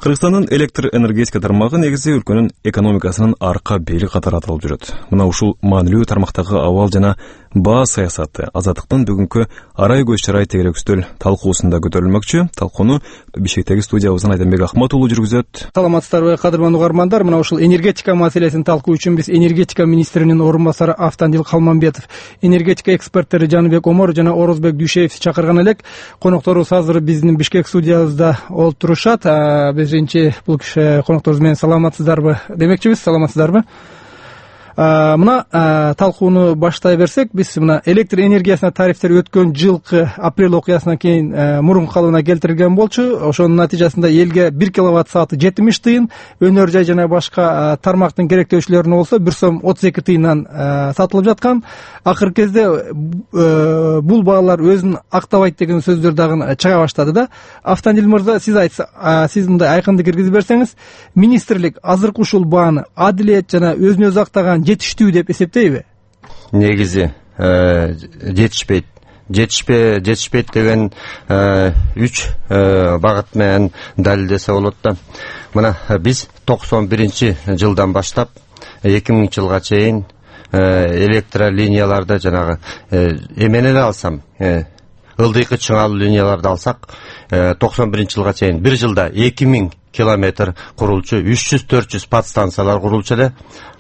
Кыргызстандын электр энергетика тармагы негизи өлкөнүн экономикасынын арка бели катары аталып жүрөт. Мына ушул маанилүү тармактагы абал жана баа саясаты азаттыктын бүгүнкү арай көз чарай тегерек үстөл талкуусунда көтөрүлмөкчү. Талкууну Бишкектеги студиябыздан Айдамбек Ахмат уулу жүргүзөт. Саламатсыздарбы, кадырман угармандар. Мына ушул энергетика маселесин талкуу үчүн биз энергетика министринин орун басары Автандил Калманбетов, энергетика эксперттери Жаныбек Омор жана Орозбек Дүйшеев чакырган элек. Конокторубуз азыр биздин Бишкек студиябызда олтурушат. Биринчи бул киши конокторубуз менен саламатсыздарбы демекчибиз. Саламатсыздарбы? Мына талкууну баштай берсек, биз мына электр энергиясына тарифтер өткөн жылкы апрель окуясынан кийин мурунку калыбына келтирилген болчу. Ошонун натыйжасында элге 1 киловатт сааты 70 тыйын, өнөр жай жана башка тармактын керектөөчүлөрүнө болсо 1 сом 32 тыйындан сатылып жаткан. Акыркы кезде бул баалар өзүн актабайт деген сөздөр дагы чыга баштады да. Автандил мырза, сиз мындай айкындык киргизип берсеңиз, министрлик азыркы ушул бааны адилет жана өзүнө өзү актаган жетиштүү деп эсептейби? Негизи жетишпейт деген 3 багыт менен далилдесе болот да. Мына биз 91-жылдан баштап 2000-жылга чейин электролинияларды жанагы эмени эле алсам, ылдыйкы чыңалуу линияларды алсак, 91-жылга чейин бир жылда 2000 километр курулчу, 300-400 подстанциялар курулчу эле.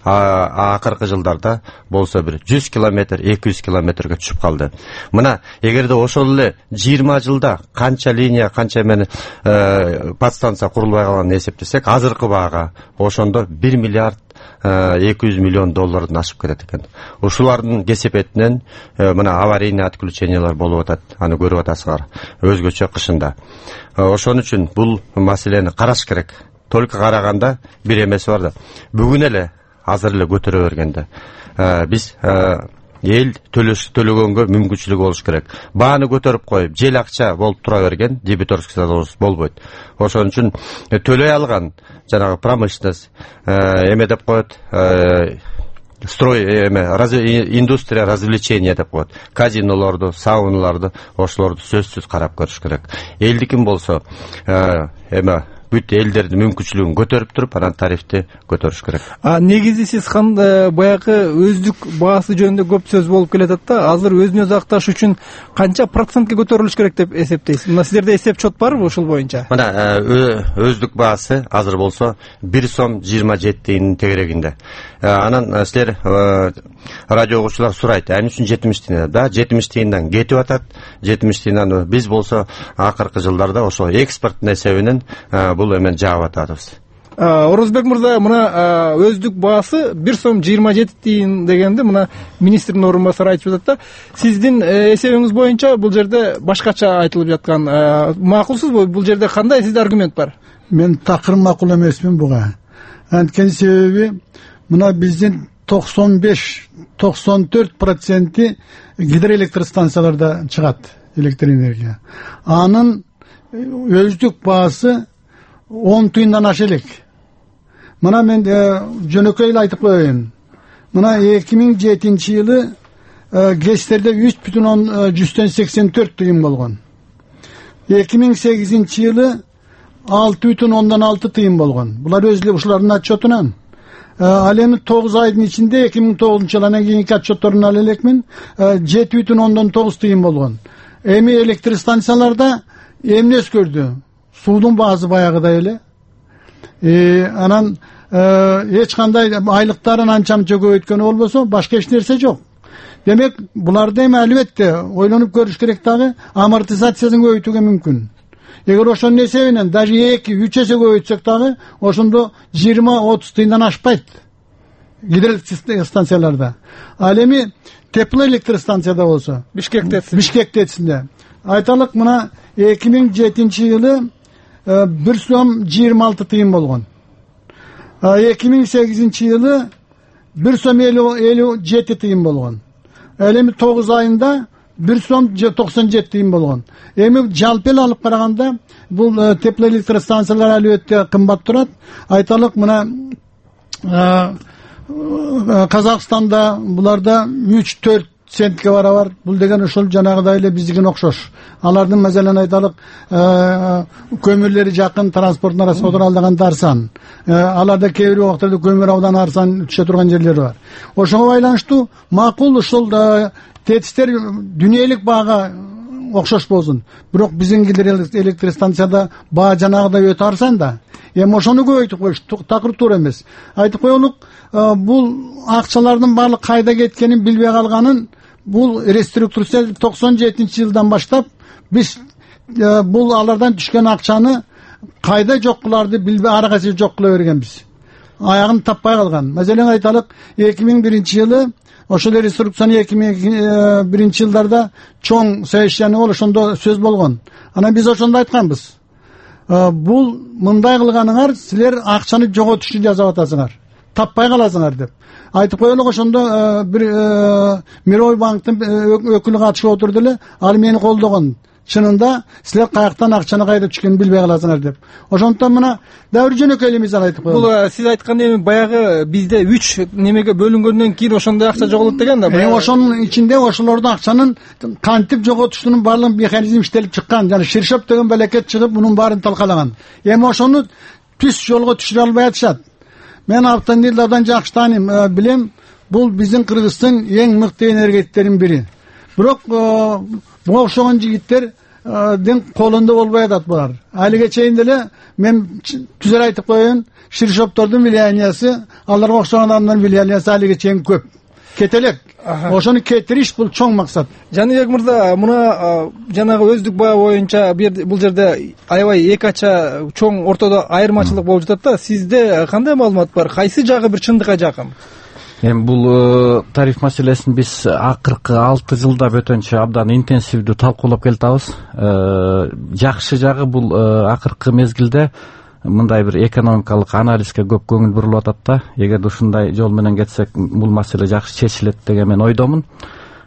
Акыркы жылдарда болсо бир 100 километр, 200 километрге түшүп калды. Мына эгерде ошол эле 20 жылда канча линия, канча эмени подстанция курулбай калганын эсептесек, азыркы баага ошондо 1 миллиард 200 миллион доллардан ашып кетет экен. Ушулардын кесепетинен мына аварийный отключениялар болуп атат. Аны көрүп атасыңар өзгөчө кышында. Ошон үчүн бул маселени караш керек. Только караганда бир эмеси бар да. Бүгүн эле азыр эле көтөрө бергенде биз эл төлөгөнгө мүмкүнчүлүгү болуш керек. Бааны көтөрүп коюп, жел акча болуп тура берген дебиторский задолженность болбойт. Ошон үчүн төлөй алган жанагы промышленность эме деп коет, индустрия развлечения деп коет. Казинолорду, сауналарды, ошолорду сөзсүз карап көрүш керек. Элдикин болсо эме бүт элдердин мүмкүнчүлүгүн көтөрүп туруп, анан тарифти көтөрүш керек. Негизи сиз баягы өздүк баасы жөнүндө көп сөз болуп келатат да. Азыр өзүн өзү акташ үчүн канча процентке көтөрүлүш керек деп эсептейсиз? Мына сиздерде эсеп чот барбы ушул боюнча? Мына өздүк баасы азыр болсо 1 сом 27 тыйындын тегерегинде. Анан силер радио угуучулар сурайт, эмне үчүн 70 тыйын? Да, 70 тыйындан кетип атат. 70 тыйындан биз болсо акыркы жылдарда ошо экспорттун эсебинен бул эмен жаап атабыз. Орозбек мырза, мына өздүк баасы 1 сом 27 тыйын дегенде мына министрдин орун басары айтып жатат да. Сиздин эсебиңиз боюнча бул жерде башкача айтылып жаткан. Макулсузбу? Бул жерде кандай сизде аргумент бар? Мен такыр макул эмесмин буга. Анткени себеби мына биздин 95-94% гидроэлектростанцияларда чыгат электр энергия. Анын өздүк баасы 10 тыйындан аша элек. Мына мен жөнөкөй эле айтып коеюн. Мына 2007-жылы ГЭСтерде 3,184 тыйын болгон. 2008-жылы 6,6 тыйын болгон. Булар өзү эле ушулардын отчетунан. Ал эми 9 айдын ичинде 2009-жылы анан кийинки отчетторун ала элекмин, 7,9 тыйын болгон. Эми электр станцияларда эмне өзгөрдү? Суудун баасы баягыдай эле. Анан эч кандай айлыктарын анча-мынча көбөйткөнү болбосо, башка эч нерсе жок. Демек, буларды эми албетте ойлонуп көрүш керек дагы, амортизациясын көбөйтүүгө мүмкүн. Эгер ошонун эсебинен даже 2-3 эсе көбөйтсөк дагы, ошондо 20-30 тыйындан ашпайт гидроэлектростанцияларда. Ал эми теплоэлектростанцияда болсо, Бишкектесинде. Айталык, мына 2007-жылы 1 сом 26 тыйын болгон. 2008-жылы 1 сом 57 тыйын болгон. Эми 9 айында 1 сом 97 тыйын болгон. Эми жалпы эле алып караганда бул теплоэлектростанциялар албетте кымбат турат. Айталык, мына Казакстанда буларда 3-4 центке барабар. Бул деген ошол жанагыдай эле биздикине окшош. Алардын маселен айталык көмүрлери жакын, транспорттун арасы отуралдаган арзан. Аларда кээ бир убактарда көмүр абдан арзан түшө турган жерлери бар. Ошого байланыштуу макул ушул тетиштер дүйнөлүк баага окшош болсун. Бирок биздин электр станцияда баа жанагыдай өтө арзан да. Эми ошону көбөйтүп коюш такыр туура эмес. Айтып коелук, бул акчалардын баардык кайда кеткенин билбей калганын, бул реструктурация 97-жылдан баштап биз бул алардан түшкөн акчаны кайда жок кыларды билбей ары кайсы жок кыла бергенбиз. Аягын таппай калган. Маселен айталык, 2001-жылы ошол реструктурацияны 2001-жылдарда чоң совещание болуп, ошондо сөз болгон. Анан биз ошондо айтканбыз. Бул мындай кылганыңар силер акчаны жоготушду жасап атасыңар, таппай каласыңар деп айтып коелук. Ошондо бир Мировой банктын өкүлү катышып отурду эле, ал мени колдогон. Чынында силер каяктан акчаны кайда түшкөнүн билбей каласыңар деп. Ошондон мына дәвир жөнөкөй эле мисал айтып коелук. Бул сиз айткан эми баягы бизде 3 немеге бөлүнгөндөн кийин ошондой акча жоголот деген да. Ошонун ичинде ошолордун акчанын кантип жоготуштунун баардык механизм иштелип чыккан. Жана Ширшоп деген балекет чыгып мунун баарын талкалаган. Эми ошону түз жолго түшүрө албай атышат. Мен Автандилди абдан жакшы тааныйм, билем. Бул биздин Кыргыздын эң мыкты энергетиктеринин бири. Бирок буга окшогон жигиттердин колунда болбой атат булар. Алиге чейин деле мен түзөр айтып коеюн, Ширшоптордун влияниясы, аларга окшогон адамдардын влияниясы алиге чейин көп. Кетелек. Ошону кетириш бул чоң максат. Жаныбек мырза, мына жанагы өздүк баа боюнча бул жерде аябай эки ача чоң ортодо айырмачылык болуп жатат да. Сизде кандай маалымат бар? Кайсы жагы бир чындыкка жакын? Эми бул тариф маселесин биз акыркы 6 жылда бөтөнчө абдан интенсивдүү талкуулап келатабыз. Жакшы жагы бул акыркы мезгилде мындай бир экономикалык анализге көп көңүл бурулуп атат да. Эгерде ушундай жол менен кетсек, бул маселе жакшы чечилет деген мен ойдомун.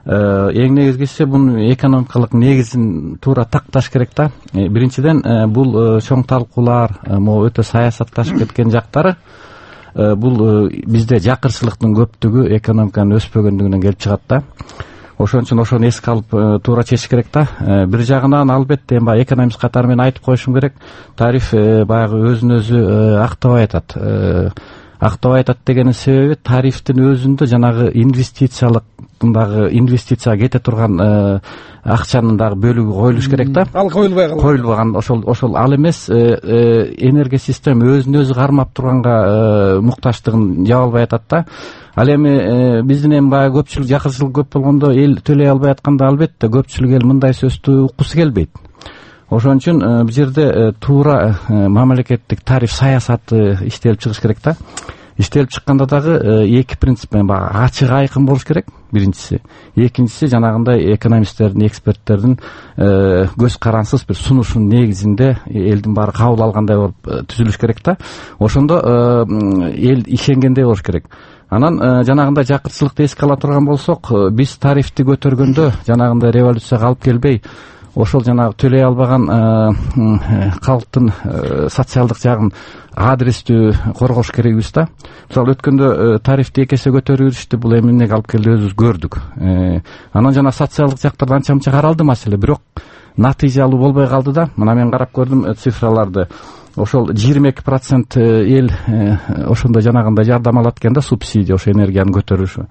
Эң негизгиси бунун экономикалык негизин туура такташ керек да. Биринчиден бул чоң талкуулар, могу өтө саясатташып кеткен жактары бул бизде жакырчылыктын көптүгү экономиканын өспөгөндүгүнөн келип чыгат да. Ошон үчүн ошону эске алып туура чечиш керек да. Бир жагынан албетте баягы экономист катары мен айтып коюшум керек, тариф баягы өзүн өзү актабай атат. Актабай атат дегенин себеби тарифтин өзүндө жанагы инвестицияга кете турган акчанын дагы бөлүгү коюлуш керек да. Ал коюлбаган ошол ал эмес, энергия система өзүн өзү кармап турганга муктачтыгын жаба албай атат да. Ал эми биздин эми баягы көпчүлүк жакырчылык көп болгондо эл төлөй албай атканда албетте көпчүлүк эл мындай сөздү уккусу келбейт. Ошон үчүн бул жерде туура мамлекеттик тариф саясаты иштелип чыгыш керек да. Иштелип чыкканда дагы эки принцип менен баягы ачык айкын болуш керек, биринчиси. Экинчиси жанагындай экономисттердин, эксперттердин көз карансыз бир сунушунун негизинде элдин баары кабыл алгандай болуп түзүлүш керек да. Ошондо эл ишенгендей болуш керек. Анан жанагындай жакырчылыкты эске ала турган болсок, биз тарифти көтөргөндө жанагындай революцияга алып келбей, ошол жанагы төлөй албаган калктын социалдык жагын адрестүү коргош керекбиз да. Мисалы өткөндө тарифти 2 эсе көтөрүп жүрүштү, бул эмнеге алып келди өзүбүз көрдүк. Анан жана социалдык жактарда анча мынча каралды маселе, бирок натыйжалуу болбой калды да. Мына мен карап көрдүм цифраларды. Ошол 22% эл ошондой жанагындай жардам алат экен да, субсидия, ошо энергиянын көтөрүлүшү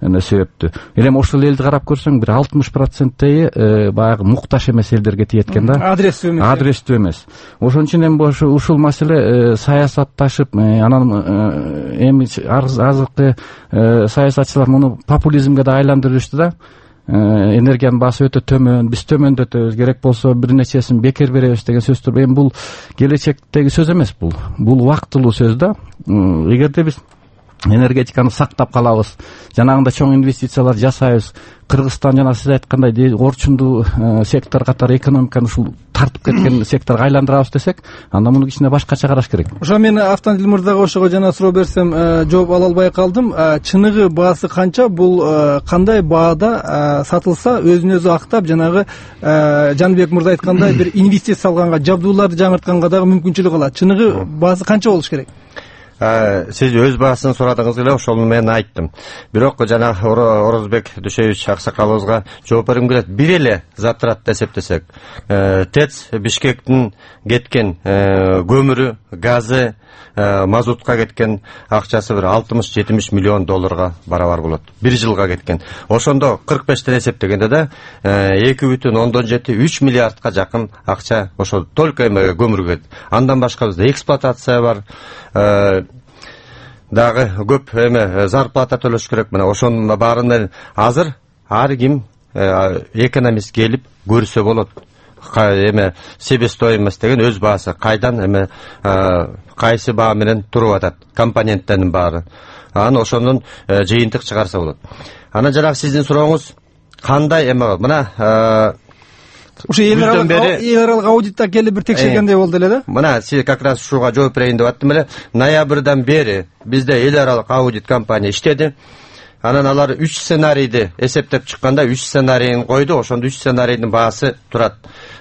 себептүү. Эми ошол элди карап көрсөң, бир 60% баягы мукташ эмес элдерге тиет экен да. Адрестүү эмес. Ошон үчүн эми ушул маселе саясатташып, анан эми азыркы саясатчылар муну популизмге да айландырып жүрүштү да. Энергиянын баасы өтө төмөн, биз төмөндөтөбүз, керек болсо бир нечесин бекер беребиз деген сөздөр. Эми бул келечектеги сөз эмес, бул убактылуу сөз да. Эгерде биз энергетиканы сактап калабыз, жанагындай чоң инвестициялар жасайбыз, Кыргызстан жана сиз айткандай орчундуу сектор катары экономиканы ушул тартып кеткен секторго айландырабыз десек, анда муну кичине башкача караш керек. Ошо мен Автандил мырзага ошого жана суроо берсем, жооп ала албай калдым. Чыныгы баасы канча? Бул кандай баада сатылса өзүн өзү актап, жанагы Жаныбек мырза айткандай бир инвестиция салганга, жабдууларды жаңыртканга дагы мүмкүнчүлүк алат. Чыныгы баасы канча болуш керек? Сиз өз баасын сурадыңыз эле, ошону мен айттым. Бирок жана Орозбек Дүйшеевич аксакалыбызга жооп бергим келет. Бир эле затратты эсептесек, ТЭЦ Бишкектин кеткен көмүрү, газы, мазутка кеткен акчасы бир 60-70 миллион долларга барабар болот. Бир жылга кеткен. Ошондо 45тен эсептегенде да 2,7-3 миллиардка жакын акча ошо только эме көмүргө. Андан башка бизде эксплуатация бар. Дагы көп эме зарплата төлөш керек. Мына ошонун баарынан азыр ар ким экономист келип көрсө болот. Эме себестоимость деген өз баасы кайдан эме кайсы баа менен туруп атат, компоненттердин баары. Аны ошондон жыйынтык чыгарса болот. Анан жанагы сиздин сурооңуз кандай эме мына ушу эл аралык аудитта келип бир текшергендей болду эле да. Мына сиз как раз ушуга жооп берейин деп аттым эле. Ноябрдан бери бизде эл аралык аудит компания иштеди. Анан алар 3 сценарийди эсептеп чыкканда 3 сценарийин койду. Ошондо 3 сценарийдин баасы турат.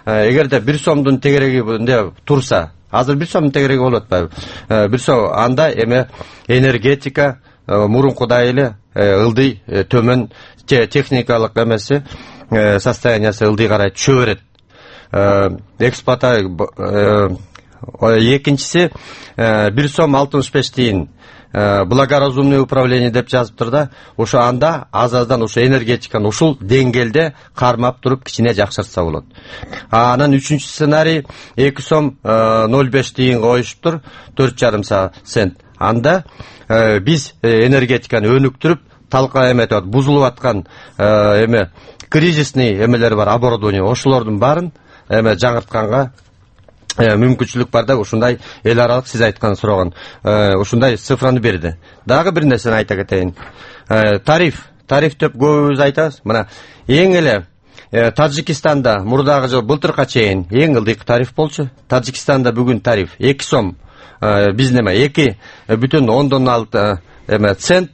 Эгерде 1 сомдун тегерегинде турса, азыр 1 сомдун тегереги болуп атпайбы? 1 сом анда эме энергетика мурункудай эле ылдый төмөн техникалык эмеси состояниясы ылдый карай түшө берет. Экинчиси 1 сом 65 тиын благоразумное управление деп жазыптыр да. Ошо анда аз-аздан ошо энергетиканы ушул деңгээлде кармап туруп кичине жакшыртса болот. Анан 3-чү сценарий 2 сом 05 тиын коюшуптур, 4,5 цент. Анда биз энергетиканы өнүктүрүп талка эметип бузулуп аткан эме кризисный эмелер бар, оборудование, ошолордун баарын эме жаңыртканга мүмкүнчүлүк бар да. Ушундай эл аралык сиз айткан сураган ушундай цифраны берди. Дагы бир нерсени айта кетейин. Тариф деп көбүбүз айтабыз. Мына эң эле Таджикистанда мурдагы жыл былтырка чейин эң ылдыйкы тариф болчу. Таджикистанда бүгүн тариф 2 сом, биздин эме 2,6 эме цент.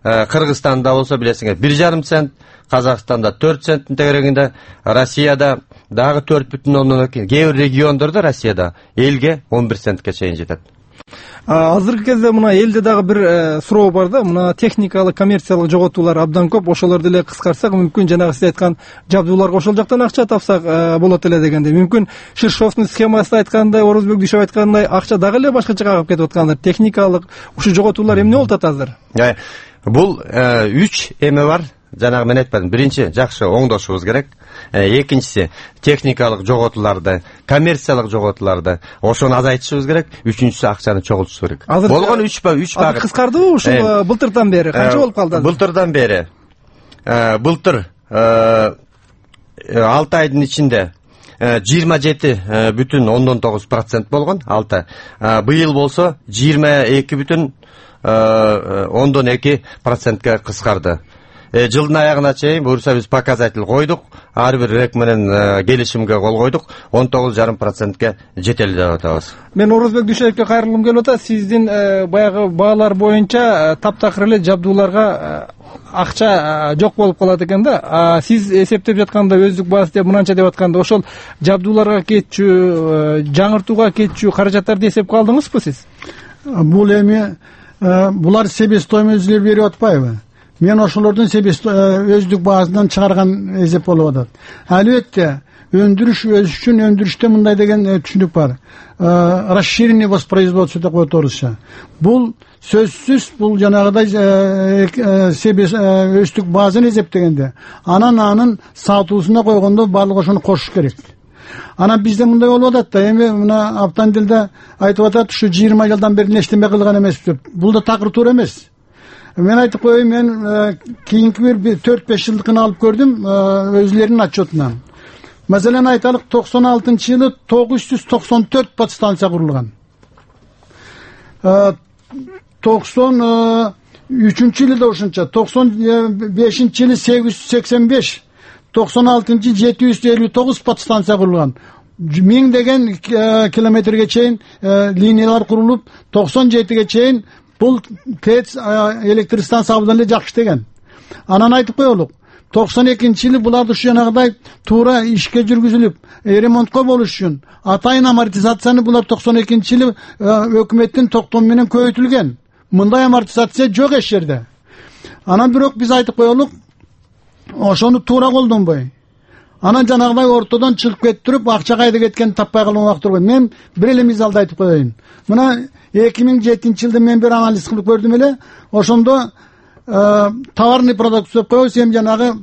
Кыргызстанда болсо билесиңер 1,5 цент, Казакстанда 4 центтин тегерегинде, Россияда дагы 4,2, кээ бир региондордо Россияда элге 11 центке чейин жетет. Азыркы кезде мына элде дагы бир суроо бар да, мына техникалык коммерциялык жоготуулар абдан көп, ошолорду эле кыскартсак мүмкүн жанагы сиз айткан жабдууларга ошол жактан акча тапсак болот эле дегенде. Мүмкүн Ширшовдун схемасында айткандай, Орозбек Дүйшев айткандай акча дагы эле башкача кагып кетип аткандыр. Техникалык ушу жоготуулар эмне болуп атат азыр? Бул 3 эме бар. Жанагы мен айтпадым. Биринчи жакшы оңдошубуз керек. Экинчиси техникалык жоготууларды, коммерциялык жоготууларды ошону азайтышыбыз керек. Үчүнчүсү акчаны чогултушубуз керек. Болгон 3 багыт. Кыскардыбы ушул былтырдан бери? Канча болуп калды? Былтырдан бери. Былтыр 6 айдын ичинде 27,9% болгон 6. Быйыл болсо 22,2%га кыскарды. Жылдын аягына чейин буюрса биз показатель койдук. Ар бир рек менен келишимге кол койдук. 19,5%га жетели деп атабыз. Мен Орозбек Дүйшеевке кайрылгым келип атат. Сиздин баягы баалар боюнча таптакыр эле жабдууларга акча жок болуп калат экен да. Сиз эсептеп жатканда өздүк баасы деп мынанча деп атканда ошол жабдууларга кетчү, жаңыртууга кетчү каражаттарды эсепке алдыңызбы сиз? Бул эми булар себестоимость берип атпайбы? Мен ошолордун өздүк баасынан чыгарган эсеп болуп атат. Албетте, өндүрүш өз үчүн өндүрүштө мындай деген түшүнүк бар. Расширенный воспроизводство деп коет орусча. Бул сөзсүз бул жанагыдай өздүк баасын эсептегенде, анын сатуусуна койгондо баардык ошону кошуш керек. Анан бизде мындай болуп атат да, эми мына Автандилде айтып атат, ушу 20 жылдан бери нештеме кылган эмес деп. Бул да такыр туура эмес. Мен айтып коеюн, мен кийинки бир 4-5 жылдыкын алып көрдүм өзлөрүнүн отчетунан. Маселен айталык, 96-жылы 994 подстанция курулган. 93-жылы да ошончо, 95-жылы 885, 96-жылы 759 подстанция курулган. 1000 деген километрге чейин линиялар курулуп, 97ге чейин бул ТЭЦ электр станция абдан эле жакшы деген. Анан айтып коелук, 92-жылы буларды ушу жанагыдай туура ишке жүргүзүлүп, ремонтко болуш үчүн атайын амортизацияны булар 92-жылы өкмөттүн токтому менен көбөйтүлгөн. Мындай амортизация жок эч жерде. Анан бирок биз айтып коелук, ошону туура колдонбой. Анан жанагыдай ортодон чыгып кетип туруп, акча кайда кеткенин таппай калган убакыт турбайт. Мен бир эле мисалды айтып коеюн. Мына 2007-жылда мен бир анализ кылып көрдүм эле. Ошондо товарный продукция деп коебуз, эми жанагы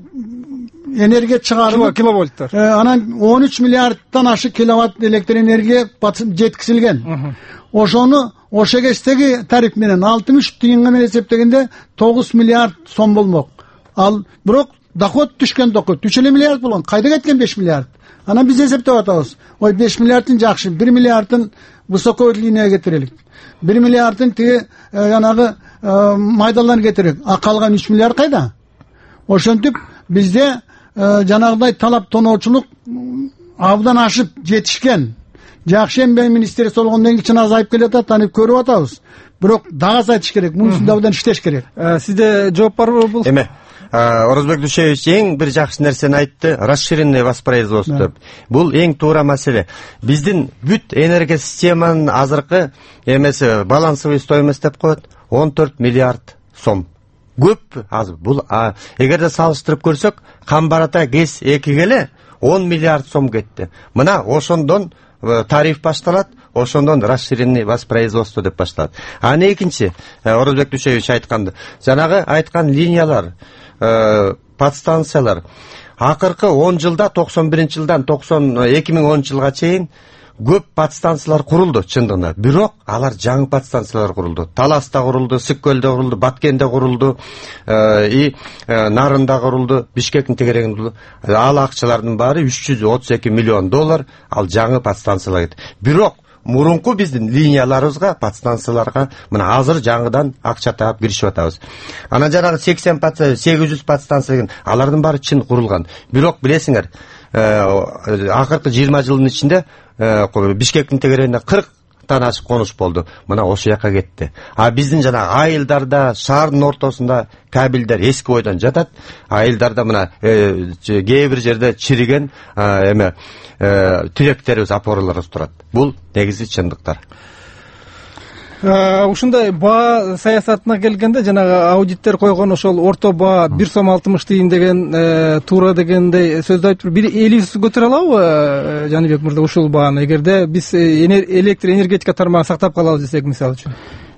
энергия чыгарылып киловольттар. Анан 13 миллиардтан ашык киловатт электр энергия жеткизилген. Ошону ошо кездеги тариф менен 63 тыйынга менен эсептегенде 9 миллиард сом болмок. Ал бирок доход түшкөн, доход 3 миллиард болгон. Кайда кеткен 5 миллиард? Анан биз эсептеп атабыз. Ой, 5 миллиардын жакшы, 1 миллиардын высокой линияга кетирелик. 1 миллиардын тиги жанагы майдалдан кетирелик. А калган 3 миллиард кайда? Ошентип бизде жанагыдай талап тоноочулук абдан ашып жетишкен. Жакшы эмгек министрлиги болгондон кийин чын азайып келатат, аны көрүп атабыз. Бирок дагы азайтыш керек, мунусунда абдан иштеш керек. Сизде жооп барбы бул? Эме, Орозбек Дүйшеевич эң бир жакшы нерсени айтты, расширенное воспроизводство деп. Бул эң туура маселе. Биздин бүт энергия системанын азыркы эмеси балансовый стоимость деп коет, 14 миллиард сом. Көп азыр. Бул эгерде салыштырып көрсөк, Камбар-Ата ГЭС 2 эле 10 миллиард сом кетти. Мына ошондон тариф башталат, ошондон расширенный воспроизводство деп башталат. Аны экинчи Орозбек Дүйшеевич айтканды, жанагы айткан линиялар, подстанциялар акыркы 10 жылда 91-жылдан 2010 жылга чейин көп подстанциялар курулду чындыгында. Бирок алар жаңы подстанциялар курулду. Таласта курулду, Сыккөлдө курулду, Баткенде курулду, Нарында курулду, Бишкектин тегерегинде курулду. Ал акчалардын баары $332 миллион, ал жаңы подстанциялар. Бирок мурунку биздин линияларыбызга, подстанцияларга мына азыр жаңыдан акча таап киришип атабыз. Анан жанагы 800 подстанция, алардын баары чын курулган. Бирок билесиңер, акыркы 20 жылдын ичинде Бишкектин тегерегинде 40 ашык конуш болду. Мына ошол жака кетти. А биздин жана айылдарда, шаардын ортосунда кабелдер эски бойдон жатат. Айылдарда мына кээ бир жерде чириген тиректерибиз, опораларыбыз турат. Бул негизи чындыктар. Ушундай баа саясатына келгенде жанагы аудиттер койгон ошол орто баа 1 сом 60 тыйын деген туура дегендей сөздү айтып, бир элибиз көтөрө алабы Жаныбек мырза ушул бааны, эгерде биз электр энергетика тармагын сактап калабыз десек, мисалы үчүн?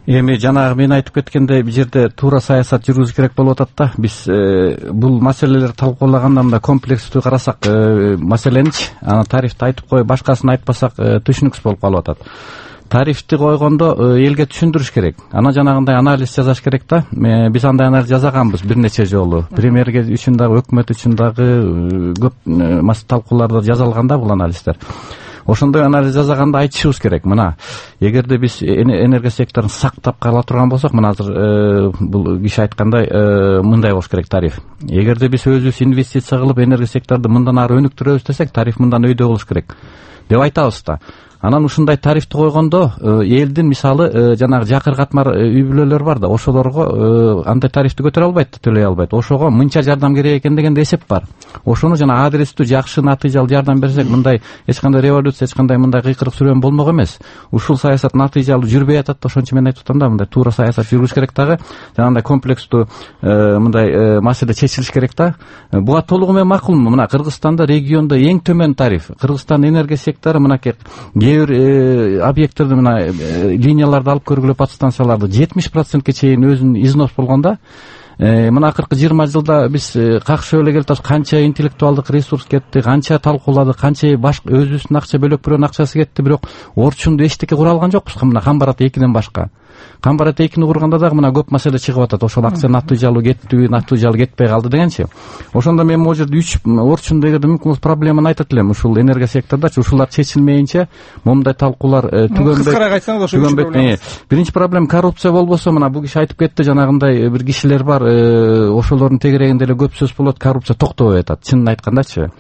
Эми жанагы мен айтып кеткендей, бул жерде туура саясат жүргүзүш керек болуп атат да. Биз бул маселелерди талкуулаганда мында комплекстүү карасак маселеничи, аны тарифти айтып коюп башкасын айтпасак түшүнүксүз болуп калып атат. Тарифти койгондо элге түшүндүрүш керек. Ана жанагындай анализ жасаш керек да. Биз андай анализ жасаганбыз бир нече жолу. Премьерге үчүн дагы, өкмөт үчүн дагы көп талкууларда жазылган да бул анализдер. Ошондой анализ жасаганда айтышыбыз керек. Мына, эгерде биз энергия секторун сактап кала турган болсок, мына азыр бул киши айткандай мындай болуш керек тариф. Эгерде биз өзүбүз инвестиция кылып энергия секторду мындан ары өнүктүрөбүз десек, тариф мындан өйдө болуш керек деп айтабыз да. Анан ушундай тарифти койгондо элдин мисалы жанагы жакыр катмар үй бүлөлөр бар да, ошолорго андай тарифти көтөрө албайт, төлөй албайт. Ошого мынча жардам керек экен деген эсеп бар. Ошону жана адрестүү жакшы натыйжалуу жардам берсек, мындай эч кандай революция, эч кандай мындай кыйкырык сүрөм болмок эмес. Ушул саясат натыйжалуу жүрбөй атат. Ошон үчүн мен айтып атам да, мындай туура саясат жүргүзүш керек дагы. Жанагындай комплекстүү мындай маселе чечилиш керек да. Буга толугу менен макулмун. Мына Кыргызстанда региондо эң төмөн тариф. Кыргызстан энергия сектору мынакей бир объекттерди мына линияларды алып көргүлө, подстанцияларды 70%ке чейин өзүнүн износ болгонда. Мына акыркы 20 жылда биз какшып эле келатабыз. Канча интеллектуалдык ресурс кетти, канча талкууладык, канча башка өзүбүздүн акча бөлөк бирөөнүн акчасы кетти, бирок орчунду эчтеке кура алган жокпуз. Мына Камбар-Ата 2ден башка. Камбар-Ата 2ни курганда дагы мына көп маселе чыгып атат. Ошол акча натыйжалуу кеттиби, натыйжалуу кетпей калды дегенчи. Ошондо мен могу жерде 3 орчунда эгерде мүмкүн болсо проблеманы айтат элем. Ушул энергия сектордачы ушулар чечилмейинче момундай талкуулар түгөнбөйт. Биринчи проблема коррупция болбосо, мына бул киши айтып кетти, жанагындай бир кишилер бар, ошолордун тегерегинде эле көп сөз болот, коррупция токтобой атат, чынын айткандачы.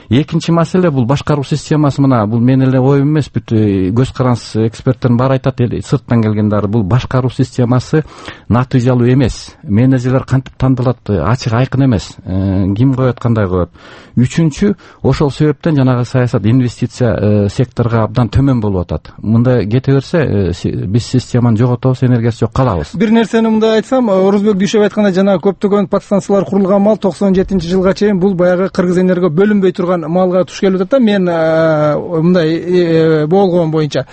Экинчи маселе бул башкаруу системасы. Мына бул менин эле оюм эмес, бүт көз каранс эксперттердин баары айтат, сырттан келгендер бул башкаруу системасы натыйжалуу эмес. Менеджерлер кантип тандалат, ачык айкын эмес. Ким коет, кандай коет. Үчүнчү, ошол себептен жанагы саясат инвестиция секторго абдан төмөн болуп атат. Мындай кете берсе биз системаны жоготобуз, энергиясы жок калабыз. Бир нерсени мындай айтсам, Орозбек Дүйшев айткандай, жана көптөгөн подстанциялар курулган мал 97-жылга чейин бул баягы Кыргыз энерго бөлүнбөй турган малга туш келип атат да. Мен мындай болгон боюнча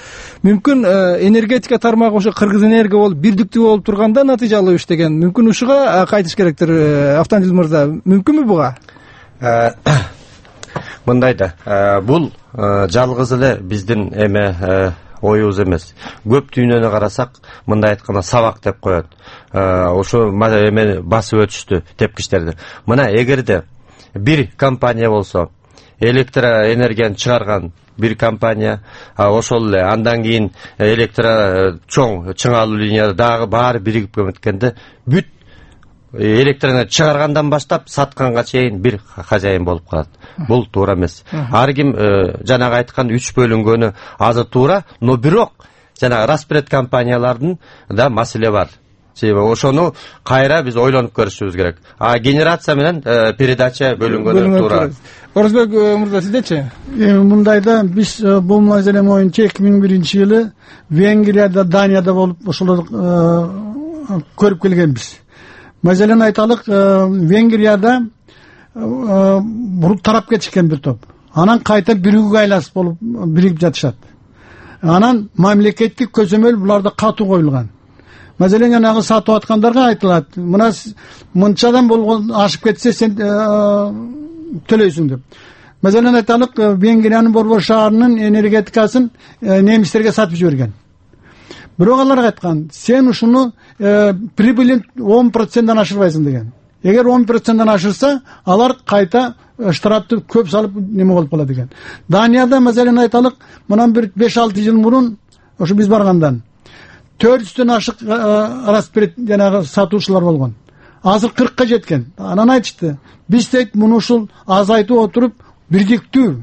мүмкүн энергетика тармагы ошо Кыргыз энерго болуп бирдиктүү болуп турганда натыйжалуу иштеген. Мүмкүн ушуга кайтыш керектир. Автандил мырза, мүмкүнбү буга? Мындай да, бул жалгыз эле биздин оюбуз эмес. Көп дүйнөнү карасак, мындай айтканда сабак деп коет. Ошо эмени басып өтүштү тепкичтерди. Мына эгерде бир компания болсо, электроэнергияны чыгарган бир компания, ошол эле андан кийин чоң чыңалуу линияда дагы баары биригип кеткенде, бүт электроэнергия чыгаргандан баштап сатканга чейин бир хозяин болуп калат. Бул туура эмес. Ар ким жанагы айткан 3 бөлүнгөнү азыр туура, но бирок жанагы распред компаниялардын да маселе бар. Себеби ошону кайра биз ойлонуп көрүшүбүз керек. Генерация менен передача бөлүнгөнү туура. Орозбек мырза, сиздечи? Мындайда биз бул маселе боюнча 2001-жылы Венгрияда, Данияда болуп ошолор көрүп келгенбиз. Маселени айталык, Венгрияда тарап кетишкен бир топ. Анан кайта бирүүгө айласып болуп биригип жатышат. Анан мамлекеттик көзөмөл буларда катуу коюлган. Маселен, жанагы сатып аткандарга айтылат, мына мынчадан болгон ашып кетсе сен төлөйсүң деп. Маселен айталык, Венгриянын Борбор шаарынын энергетикасын немистерге сатып жиберген. Бирок алар айткан, сен ушуну прибылин 10%-дан ашырбайсың деген. Эгер 10%-дан ашырса, алар кайта штрафты көп салып неме болуп калат деген. Данияда маселен айталык, мындан бир 5-6 жыл мурун ошо биз баргандан 400-төн ашык распред жанагы сатуучулар болгон. Азыр 40-ка жеткен. Анан айтышты, биз дейт муну ушул азайтып отуруп бирдиктүү.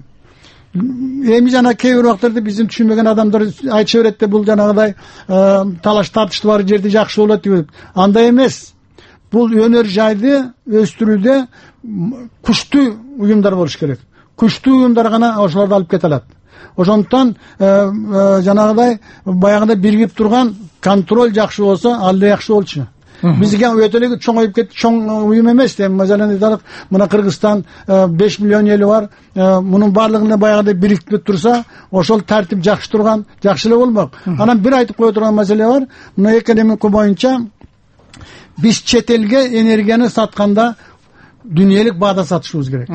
Эми жана кээ бир убактарда биздин түшүнбөгөн адамдар айтыша берет да, бул жанагыдай талаш тартыштуу бар жерде жакшы болот деп. Андай эмес. Бул өнөр жайды өстүрүүдө күчтүү уюмдар болуш керек. Күчтүү уюмдар гана ошолорду алып кете алат. Ошондуктан жанагыдай баягыда биригип турган контроль жакшы болсо, ал да жакшы болчу. Бизге өтө эле чоңоюп кетти, чоң уюм эмес деп. Маселен айталык, мына Кыргызстан 5 миллион эли бар. Мунун баардыгына баягыда бирикип турса, ошол тартип жакшы турган, жакшы эле болмок. Анан бир айтып кое турган маселе бар. Мына экономика боюнча биз чет элге энергияны сатканда дүйнөлүк баада сатышыбыз керек.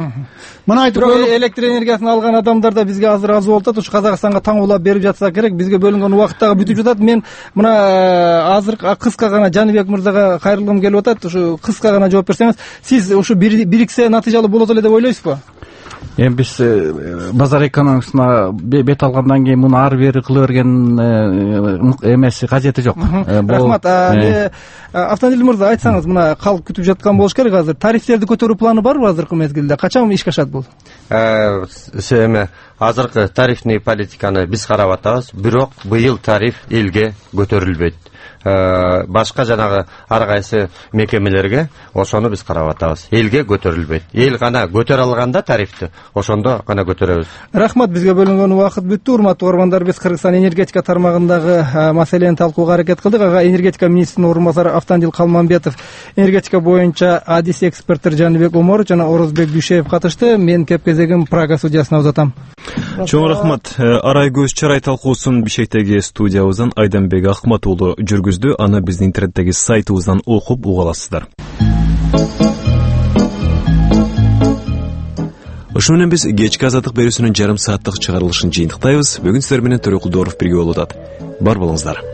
Мына айтып коелук, электр энергиясын алган адамдар да бизге азыр аз болуп атат. Ушу Казакстанга таңуулап берип жатса керек. Бизге бөлүнгөн убакыт дагы бүтүп жатат. Мен мына азыр кыска гана Жаныбек мырзага кайрылгым келип атат. Ушу кыска гана жооп берсеңиз, сиз ушу бириксе натыйжалуу болот эле деп ойлойсузбу? Эми биз базар экономикасына бет алгандан кийин муну ары бери кыла берген эмеси кажети жок. Рахмат. Автандил мырза, айтсаңыз, мына калк күтүп жаткан болуш керек азыр. Тарифтерди көтөрүү планы барбы азыркы мезгилде? Качан ишке ашат бул? Азыркы тарифный политиканы биз карап атабыз, бирок быйыл тариф элге көтөрүлбөйт. Башка жанагы ар кайсы мекемелерге ошону биз карап атабыз. Элге көтөрүлбөйт. Эл гана көтөрө алганда тарифти, ошондо гана көтөрөбүз. Рахмат, бизге бөлүнгөн убакыт бүттү. Урматтуу угармандар, биз Кыргызстан энергетика тармагындагы маселени талкууга аракет кылдык. Ага энергетика министринин орун басары Автандил Калманбетов, энергетика боюнча адис эксперттер Жаныбек Оморов жана Орозбек Дүйшев катышты. Мен кеп кезегим Прага студиясына узатам. Чоң рахмат. Арай көз чарай талкуусун Бишкектеги студиябыздан Айданбек Акмат уулу жүргүздү. Аны биздин интернеттеги сайтыбыздан окуп уга аласыздар. Ошо менен биз кечки азаттык берүүсүнүн жарым сааттык чыгарылышын жыйынтыктайбыз. Бүгүн сиздер менен Төрөкул Дооров бирге болуп атат. Бар болуңуздар.